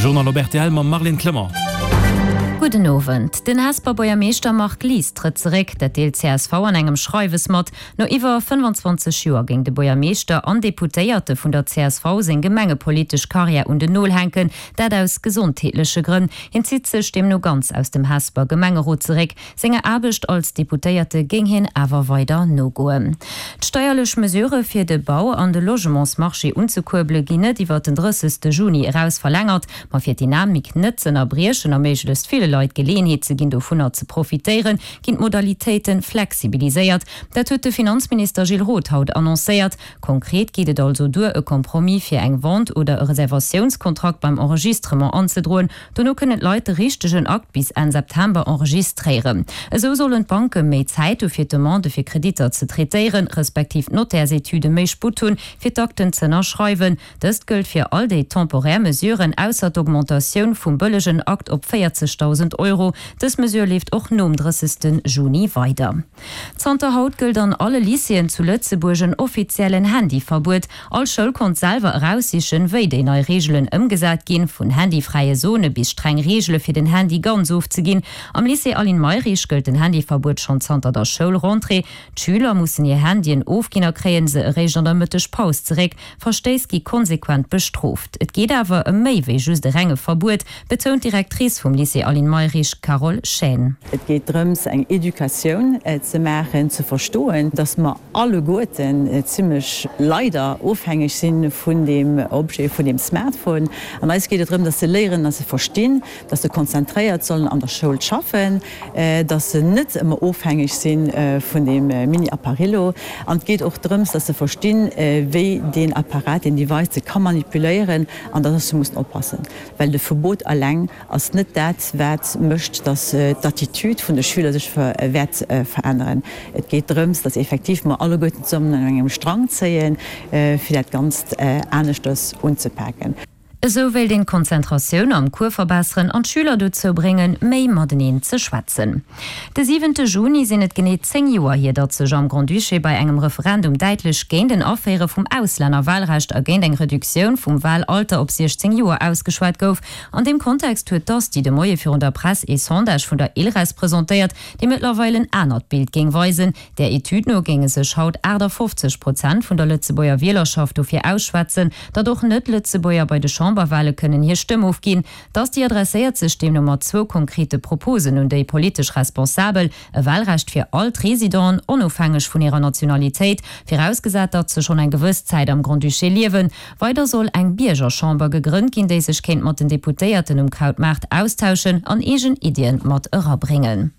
De Journal op rtl mam Marlène Clement. Gudden Owend. Den Hesper Buergermeeschter Marc Lies trëtt zeréck. Dat deelt csv an engem Schreiwes mat. No iwwer 25 Joer géing de Buergermeeschter an Deputéierte vun der csv seng gemengepolitesch Karriär un den Nol hänken. Dat aus gesondheetleche Grënn. Hien zitt sech deemno ganz aus dem Hesper Gemengerot zeréck. Senger Aarbecht als Deputéierte géing hien awer weider nogoen. D'steierlech Mesurë fir de Bau an de Logementsmarché unzekuerbele ginn net iwwer den 30. Juni eraus verlängert. Ma fir d'Dynamik net z'ënnerbriechen a méiglechst ville Leit d'Geleeënheet ze ginn dovunner ze profitéieren, ginn d'Modalitéite flexibiliséiert. Dat huet de Finanzminister Gilles Roth haut annoncéiert. Konkret geet et also duer, e Compromis fir eng Vente oder e Reservatiounskontrakt beim Enregistrement anzedroen. Dono kënnen d'Leit de richtegen Akt bis Enn September enregistréieren. Esou sollen d'Banke méi Zäit hu fir d'Demande fir Kreditter ze traitéieren, respektiv d'Notärsetüde méi Sputt hunn, fir d'Akten z'ënnerschreiwen. Dëst gëllt fir all déi temporär Mesuren, ausser d'Augmentatioun vum bëllegen Akt op 40.000 Euro. Dës Mesure leeft och nom 30. Juni weider. Zanter haut gëllt an alle Lycéeën zu Lëtzebuerg en offiziellen Handyverbuet. All Schoul konnt selwer eraussichen, wéi déi nei Reegelen ëmgesat ginn, vun handyfräie Zone bis streng Reegele fir den Handy ganz ofzeginn. Am Lycée Aline Mayrisch gëllt den Handyverbuet schonn zanter der Schoulrentrée. D'Schüler mussen hir Handyen ofginn a kréien se eréischt an der Mëttegpaus zeréck. Verstéiss gi konsequent bestrooft. Et geet awer ëm méi wéi just e renge Verbuet, betount d'Directrice vum Lycée Aline Mayrisch, Carole Chaine. Et geet drëms, eng Educatioun ze maachen, ze verstoen, dass mer alleguerten zimlech leider ofhängeg si vun deem Objet, vun deem Smartphone. An eis geet et drëm, dass se léieren, dass se verstinn, dass se konzentréiert sollen an der Schoul schaffen, dass se net ëmmer ofhängeg si vun deem Mini-Apparillo. An et geet och drëms, dass se verstinn, wéi deen Apparat, deen Device se ka manipuléieren an dass se mussen oppassen, well de Verbot eleng ass net dat, wat mécht, dass d'Attitude vun de Schüler sech wäert veränneren. Et geet drëms, dass effektiv mer alleguerten zesummen un engem Strang zéien, fir dat Ganzt aneschters unzepaken. Esou wéilt een d'Konzentratioun am Cours verbesseren an d'Schüler dozou bréngen, méi mateneen ze schwätzen. De siwente Juni sinn et genee 10 Joer hier, datt sech am Grand-Duché bei engem Referendum däitlech géint en Aféiere vum Auslännerwahlrecht a géint eng Reduktioun vum Wahlalter op 16 Joer ausgeschwat gouf. An deem Kontext huet d'ASTI de Moie virun der Press ee Sondage vun der ILRES presentéiert, dee mëttlerweil en anert Bild géing weisen. Där Etüd no géinge sech haut 58 Prozent vun der Lëtzebuerger Wielerschaft dofir ausschwätzen, datt och Net-Lëtzebuerger bei de Chamberwale kënnen hir Stëmm ofginn. D'Asti adresséiert sech deemno mat zwou konkrete Proposen un déi politesch Responsabel, e Walrecht fir all d'Residenten, onofhängeg vun hirer Nationalitéit, virausgesat datt se schonn eng gewëss Zäit am Grand-Duché liewen. Weider soll eng Biergerchamber gegrënnt ginn, déi sech kéint mat den Deputéierten um Krautmaart austauschen an eegen Iddien mat erabréngen.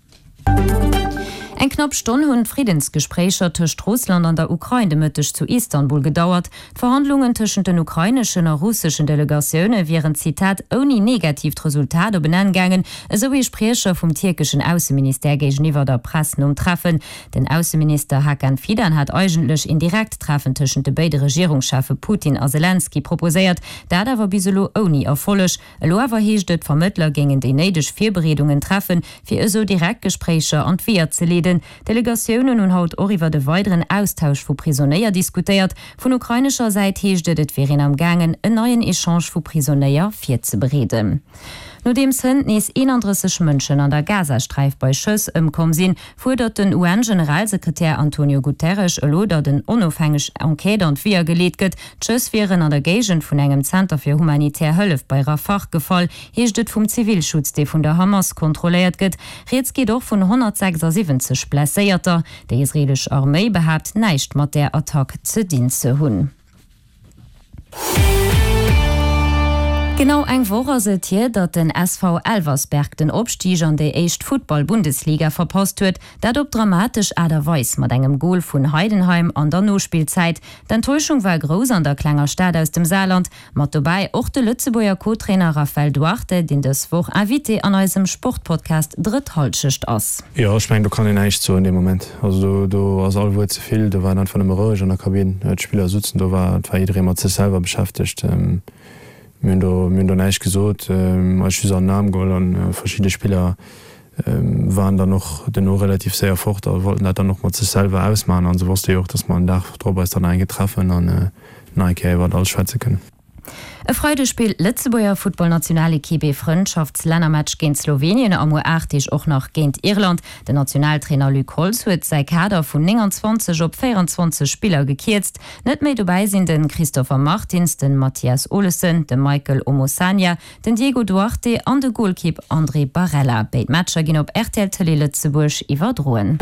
Eng knapp Stonn hunn d'Friddensgespréicher tëscht Russland an der Ukrain de Mëtteg zu Istanbul gedauert. D'Verhandlungen tëschent den ukraineschen a russeschen Delegatioune wieren, Zitat, ouni negatiivt Resultat op en Enn gaangen, esou ee Spriecher vum tierkeschen Ausseministère géigeniwwer der Press nom Treffen. Den Ausseminister Hakan Fidan hat eigentlech een direkt Treffen tëschent de béide Regierungscheffe Putin a Selenskyj proposéiert, dat awer bis elo ouni Erfolleg. Elo awer heescht et, d'Vermëttler géingen déi néideg Virbereedungen treffen, fir esou direkt Gespréicher an d'Weeër ze leeden. D'Delegatiounen hunn haut och iwwert e weideren Austausch vu Prisonéier diskutéiert. Vun ukrainescher Säit heescht et, et wier een am gaangen, en neien Echange vu Prisonéier virzebereeden. Nodeems hënt nees 31 Mënschen an der Gazasträif bei Schëss ëmkomm sinn, fuerdert den UN-Generalsekretär Antonio Guterres elo, datt en onofhängeg Enquête an d'Weeër geleet gëtt. D'Schëss wieren an der Géigend vun engem Zenter fir humanitär Hëllef bei Rafah gefall, heescht et vum Zivilschutz, dee vun der Hamas kontrolléiert gëtt. Rieds geet och vun 176 Blesséierter. Déi israeelesch Arméi behaapt, näischt mat där Attack ze dinn ze hunn. Genau eng Woch ass et hier, datt den SV Elversberg den Opstig an déi éischt Futtball-Bundesliga verpasst huet. Dat op dramatesch Aart a Weis mat engem Gol vun Heidenheim an der Nospillzäit. D'Enttäuschung war grouss an der klenger Stad aus dem Saarland. Mat dobäi och de Lëtzebuerger Co-Trainer Raphael Duarte, deen dës Woch Invité an eisem Sportpodcast Drëtt Hallschecht ass. Jo, ech mengen do kann een näischt soen dee Moment. Also do do ass all Wuert ze vill. Do war et einfach nëmme roueg an der Kabinn. D'Spiller sutzen do, war et war jidderee mat sech selwer beschäftegt. Mir hunn do mir hunn do näischt gesot, eis just an den Aarm geholl an verschidde Spiller waren dann och duerno relativ séier fort a wollten dat dann och mat sech selwer ausmaachen an se wosste jo och, dass mer en Dag drop eis dann nach eng Kéier treffen an nach eng Kéier iwwert alles schwätze kënnen. E Freideg spillt d'Lëtzebuerger Futtballnationalekipp ee Frëndschaftslännermatch géint Slowenien a muer 8 Deeg och nach géint Irland. Den Nationaltrainer Luc Holtz huet säi Kader vun 29 op 24 Spiller gekierzt. Net méi dobäi sinn de Christopher Martins, de Mathias Olesen, de Michael Omosanya, Den Diego Duarte an de Golkipp André Barella. Béid Matcher ginn op rtl Tëlee Lëtzebuerg iwwerdroen.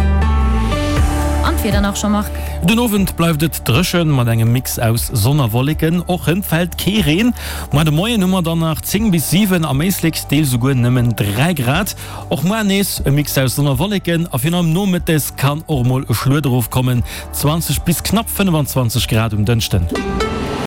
An d'Wieder nach, Jean-Marc? Den Owend bleift et dréchen, mat engem Mix aus Sonn a Wolleken. Och hënt fält kee Reen. Muer de Moien hu mer dann nach 10 bis 7, am Éislek deels esouguer nëmmen 3 Grad. Och muer nees e Mix aus Sonn a Wolleken a virun allem nomëttes kann och mol e Schluet erofkommen, 20 bis knapp 25 Grad um Dënschden.